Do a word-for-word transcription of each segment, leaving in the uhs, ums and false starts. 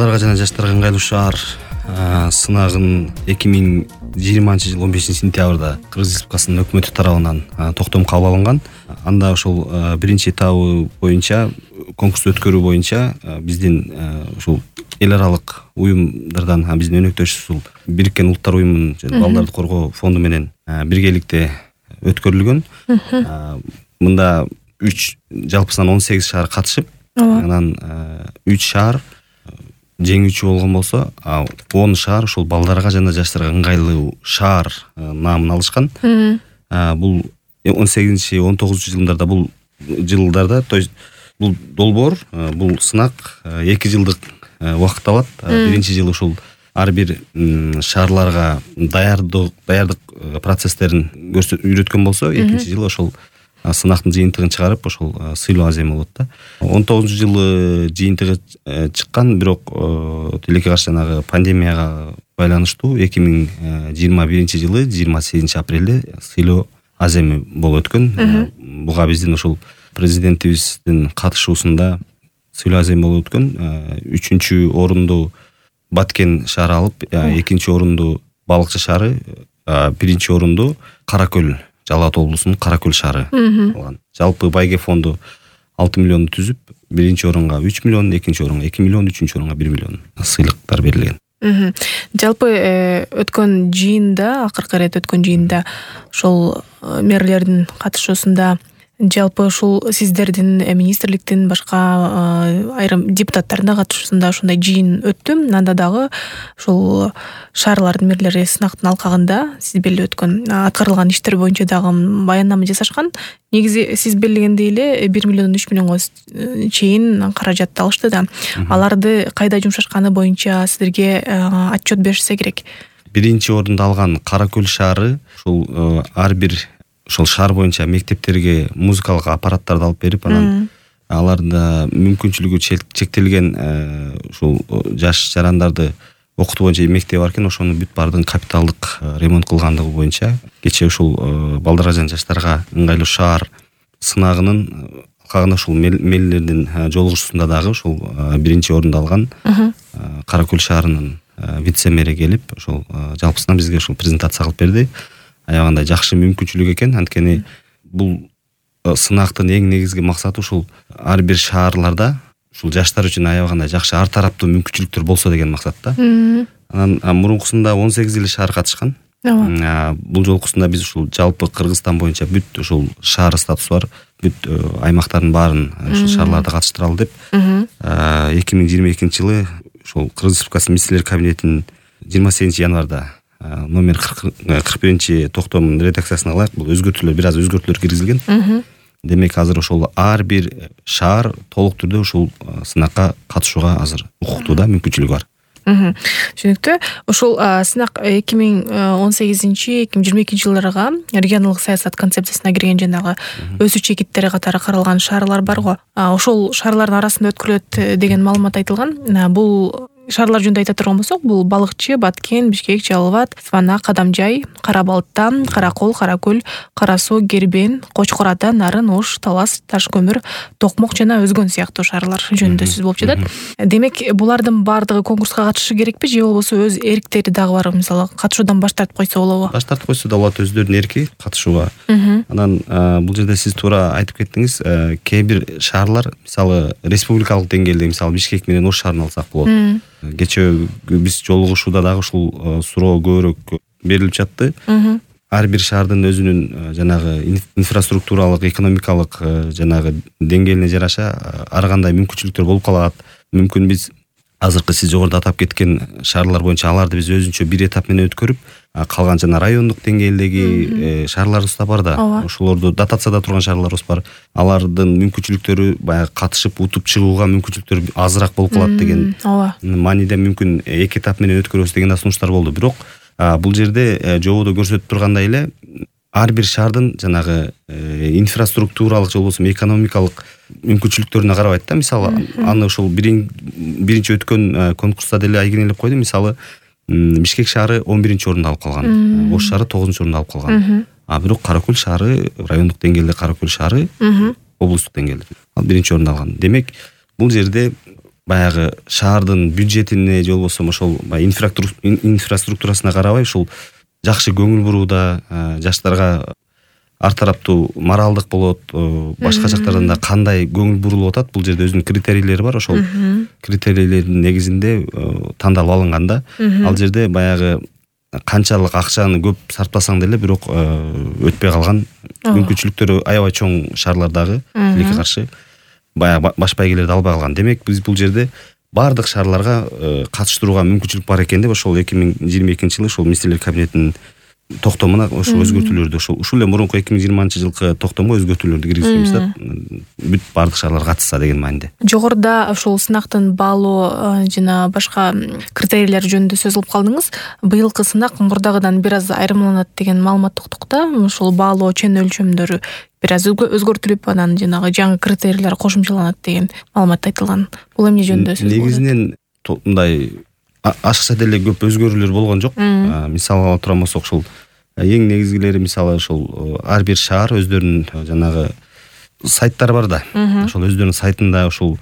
Балдарга жана жаштарга ыңгайлуу шаар сынагын эки миң жыйырманчы жыл он бешинчи сентябрда Кыргыз Республикасынын өкмөтү тарабынан токтом кабыл алынган. Анда ошол биринчи этабы боюнча конкурсту өткөрүү боюнча биздин ушул эл аралык уюмдардан биздин өнөктөшүбүз ушул Бириккен Улуттар уюмунун балдарды коргоо фонду менен биргеликте өткөрүлгөн. Мында үч жалпысынан он сегиз шаар катышып, анан үч шаар жеңүүчү болгон болсо, он шаар ушул балдарга жана жаштарга ыңгайлуу шаар наамын алышкан. Бул он сегизинчи он тогузунчу жылдарда бул жылдарда, то есть бул долбоор, бул сынак эки жылдык убакыт алат. Биринчи жылы ушул ар бир шаарларга даярдык даярдык процесстерин үйрөткөн болсо, экинчи жылы ошол сынактын жыйынтыгын чыгарып, ошол сыйлоо азем болот да. он тогузунчу жылы жыйынтыгы чыккан, бирок тилекке каршы жанагы пандемияга байланыштуу эки миң жыйырма биринчи жылы жыйырма сегизинчи апрелде сыйлоо аземи болуп өткөн. Буга биздин ушул президентибиздин катышуусунда сыйлоо азем болуп өткөн. Үчүнчү орунду Баткен шаары алып, экинчи орунду Балыкчы шаары, биринчи орунду Каракөл, Жалал Абад облусунун Каракөл шаары алган. Жалпы байге фонду алты миллионду түзүп, биринчи орунга үч миллион, экинчи орунга эки миллион, үчүнчү орунга бир миллион сыйлыктар берилген. Жалпы өткөн жыйында, акыркы ирет өткөн жыйында ошол мэрлердин катышуусунда жалпы ушул сиздердин министрликтин башка айрым депутаттардын катышуусунда ушундай жыйын өттү. Анда дагы ушул шаарлардын мэрлери сынактын алкагында сиз белгилеп өткөн аткарылган иштер боюнча дагы баяндама жасашкан. Негизи сиз белгилегендей эле бир миллион үч миллионго чейин каражат алышты да. Аларды кайда жумшашканы боюнча сиздерге отчет беришсе керек. Биринчи орунду алган Каракөл шаары ушул ар бир ошол шаар боюнча мектептерге музыкалык аппараттарды алып берип, анан аларда мүмкүнчүлүгү чектелген ушул жаш жарандарды окутуу боюнча мектеп бар экен, ошону бүт баардыгын капиталдык ремонт кылгандыгы боюнча кечээ ушул балдарга жана жаштарга ыңгайлуу шаар сынагынын алкагында ушул мээлердин жолугушуусунда дагы ушул биринчи орунду алган Каракөл шаарынын вице-мэри келип, ошол жалпысынан бизге ушул презентация кылып берди. Аябагандай жакшы мүмкүнчүлүк экен, анткени бул сынактын эң негизги максаты ушул ар бир шаарларда ушул жаштар үчүн аябагандай жакшы ар тараптуу мүмкүнчүлүктөр болсо деген максатта. Анан мурункусунда он сегиз эле шаар катышкан. Бул жолкусунда биз ушул жалпы Кыргызстан боюнча бүт ушул шаар статусу бар бүт аймактардын баарын ушул шаарларда катыштыралы деп эки миң жыйырма экинчи жылы ушул Кыргыз Республикасы министрлер кабинетинин жыйырма сегизинчи январда номер кырк биринчи токтомдун редакциясына алайык, бул өзгөртүүлөр бир аз өзгөртүүлөр киргизилген. Демек азыр ошол ар бир шаар толук түрдө ушул сынакка катышууга азыр укуктуу да мүмкүнчүлүгү бар. Түшүнүктүү. Ушул сынак эки миң он сегизинчи эки миң жыйырма экинчи жылдарга регионалдык саясат концепциясына кирген жанагы өсүү чекиттери катары каралган шаарлар бар го. Ошол шаарлардын арасында өткөрүлөт деген маалымат айтылган. Бул шаарлар жөнүндө айта турган болсок, бул Балыкчы, Баткен, Бишкек, Жалал Абад, Свана, Кадамжай, Кара Балык, Каракол, Каракөл, Кара Суу, Гербен, Кочкор Ата, Нарын, Ош, Талас, Ташкөмүр, Токмок жана өзгөн сыяктуу шаарлар жөнүндө сөз болуп жатат. Демек, булардын баардыгы конкурска катышышы керекпи же болбосо өз эриктери дагы бар, мисалы катышуудан баш тартып койсо болобу? Баш тартып койсо да болот, өздөрүнүн эрки катышууга. Анан бул жерде сиз туура айтып кеттиңиз, кээ бир шаарлар, мисалы республикалык деңгээлде, мисалы Бишкек менен Ош шаарын алсак болот. Кечээ биз жолугушууда дагы ушул суроо көбүрөөк берилип жатты. Ар бир шаардын өзүнүн жанагы инфраструктуралык, экономикалык жанагы деңгээлине жараша ар кандай мүмкүнчүлүктөр болуп калат. Мүмкүн биз азыркы сиз жогоруда атап кеткен шаарлар боюнча аларды биз өзүнчө бир этап менен өткөрүп, калган жана райондук деңгээлдеги шаарларыбыз да бар да. Ошолорду дотацияда турган шаарларыбыз бар. Алардын мүмкүнчүлүктөрү баягы катышып утуп чыгууга мүмкүнчүлүктөр азыраак болуп калат деген мааниде мүмкүн эки этап менен өткөрөбүз деген сунуштар болду. Бирок бул жерде жободо көрсөтүп тургандай эле ар бир шаардын жанагы инфраструктуралык же болбосо экономикалык мүмкүнчүлүктөрүнө карабайт да. Мисалы, аны ошол биринчи өткөн конкурста деле айгинелеп койду. Мисалы, Бишкек шаары он биринчи орунду алып калган, Ош шаары тогузунчу орунду алып калган. А бирок Каракөл шаары, райондук деңгээлде Каракөл шаары облустук деңгээлде ал биринчи орунду алган. Демек, бул жерде баягы шаардын бюджетине же болбосо ошол инфраструктурасына карабай ушул жакшы көңүл бурууда, жаштарга ар тараптуу моралдык болот, башка жактардан да кандай көңүл бурулуп атат, бул жерде өзүнүн критерийлери бар. Ошол критерийлердин негизинде тандалып алынган да. Ал жерде баягы канчалык акчаны көп сарптасаң деле бирок өтпөй калган мүмкүнчүлүктөрү аябай чоң шаарлардагы тилекке каршы баягы баш байгелерди албай калган. Демек биз бул жерде баардык шаарларга катыштырууга мүмкүнчүлүк бар экен деп ошол эки миң жыйырма экинчи жылы ошол министрлер кабинетинин токтомуна ошол өзгөртүүлөрдү ошол ушул эле мурунку эки миң жыйырманчы жылкы токтомго өзгөртүүлөрдү киргизебиз да. Бүт баардык шаарлар катышса деген мааниде. Жогоруда ошол сынактын баалоо жана башка критерийлер жөнүндө сөз кылып калдыңыз. Быйылкы сынак мурдагыдан бир аз айырмаланат деген маалымат уктук да. Ошол баалоо чен өлчөмдөрү бир аз өзгөртүлүп, анан жанагы жаңы критерийлер кошумчаланат деген маалымат айтылган. Бул эмне жөнүндө сөз? Негизинен мындай ашыкча деле көп өзгөрүүлөр болгон жок. Мисалга ала турган болсок, ушул эң негизгилери мисалы ошол ар бир шаар өздөрүнүн жанагы сайттары бар да. Ошол өздөрүнүн сайтында ушул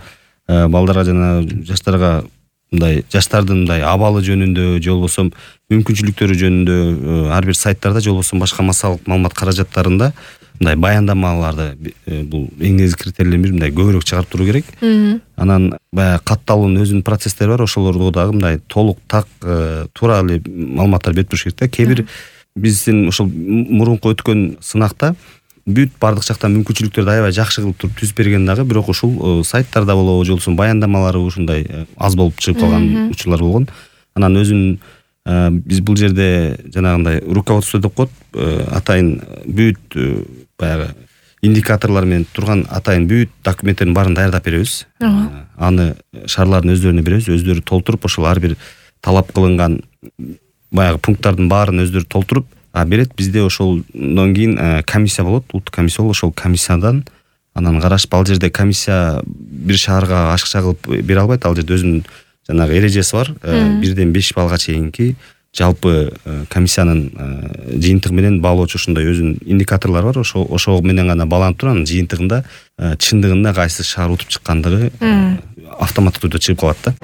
балдарга жана жаштарга мындай жаштардын мындай абалы жөнүндө же болбосо мүмкүнчүлүктөрү жөнүндө ар бир сайттарда же болбосо башка массалык маалымат каражаттарында мындай баяндамаларды бул эң негизги критерийлердин бири мындай көбүрөөк чыгарып туруу керек. Анан баягы катталуунун өзүнүн процесстери бар. Ошолорду дагы мындай толук так туура эле маалыматтар берип туруш керек да. Кээ бир биздин ошол мурунку өткөн сынакта бүт баардык жактан мүмкүнчүлүктөрдү аябай жакшы кылып туруп түзүп берген дагы, бирок ушул сайттарда болобу же болбосо баяндамалары ушундай аз болуп чыгып калган учурлар болгон. Анан өзүнүн биз бул жерде жанагындай руководство деп коет, атайын бүт баягы индикаторлор менен турган атайын бүт документтердин баарын даярдап беребиз. Аны шаарлардын өздөрүнө беребиз, өздөрү толтуруп ошол ар бир талап кылынган баягы пункттардын баарын өздөрү толтуруп берет. Бизде ошолдон кийин комиссия болот, улуттук комиссия болот. Ошол комиссиядан анан карашып, ал жерде комиссия бир шаарга ашыкча кылып бере албайт. Ал жерде өзүнүн жанагы эрежеси бар. Бирден беш баллга чейинки жалпы комиссиянын жыйынтыгы менен баалоочу ушундай өзүнүн индикаторлору бар. Ошо ошо менен гана бааланып туруп, анын жыйынтыгында чындыгында кайсы шаар утуп чыккандыгы автоматтык түрдө чыгып калат да.